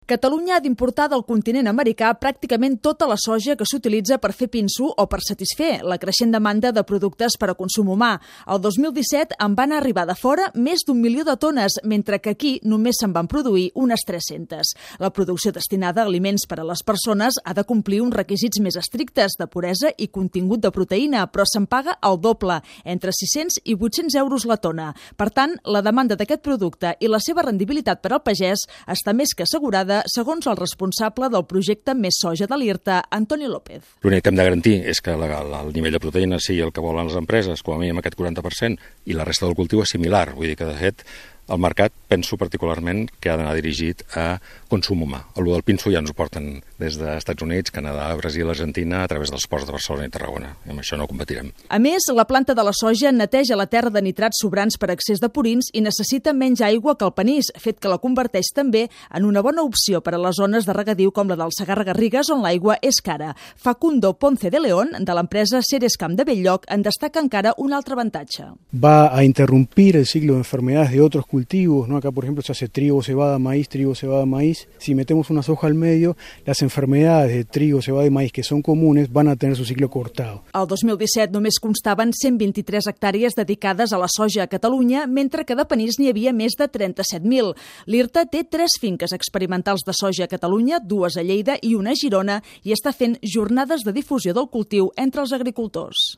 Catalunya ha d'importar del continent americà pràcticament tota la soja que s'utilitza per fer pinso o per satisfer la creixent demanda de productes per a consum humà. El 2017 en van arribar de fora més d'1 milió de tones, mentre que aquí només se'n van produir unes 300. La producció destinada a aliments per a les persones ha de complir uns requisits més estrictes de puresa i contingut de proteïna, però se'n paga el doble, entre 600 i 800 euros la tona. Per tant, la demanda d'aquest producte i la seva rendibilitat per al pagès està més que assegurada, segons el responsable del projecte Més Soja de l'IRTA, Antoni López. L'únic que hem de garantir és que el nivell de proteïna sigui el que volen les empreses, com a mínim aquest 40%, i la resta del cultiu és similar. Vull dir que, de fet, el mercat, penso particularment, que ha d'anar dirigit a consum humà. El del pinso ja ens ho porten des dels Estats Units, Canadà, Brasil, Argentina, a través dels ports de Barcelona i Tarragona. I amb això no competirem. A més, la planta de la soja neteja la terra de nitrats sobrants per excés de purins i necessita menys aigua que el panís, fet que la converteix també en una bona opció per a les zones de regadiu com la del Segarra-Garrigues, on l'aigua és cara. Facundo Ponce de León, de l'empresa Cerescam de Bell-lloc, en destaca encara un altre avantatge. Va a interrumpir el ciclo de enfermedades de otros cultivos, ¿no? Acá, por ejemplo, se hace trigo, cebada, maíz, Si metemos una soja al medio, las enfermedades de trigo, cebada y maíz que son comunes van a tener su ciclo cortado. El 2017 només constaven 123 hectàrees dedicades a la soja a Catalunya, mentre que de panís n'hi havia més de 37.000. L'IRTA té 3 finques experimentals de soja a Catalunya, 2 a Lleida i una a Girona, i està fent jornades de difusió del cultiu entre els agricultors.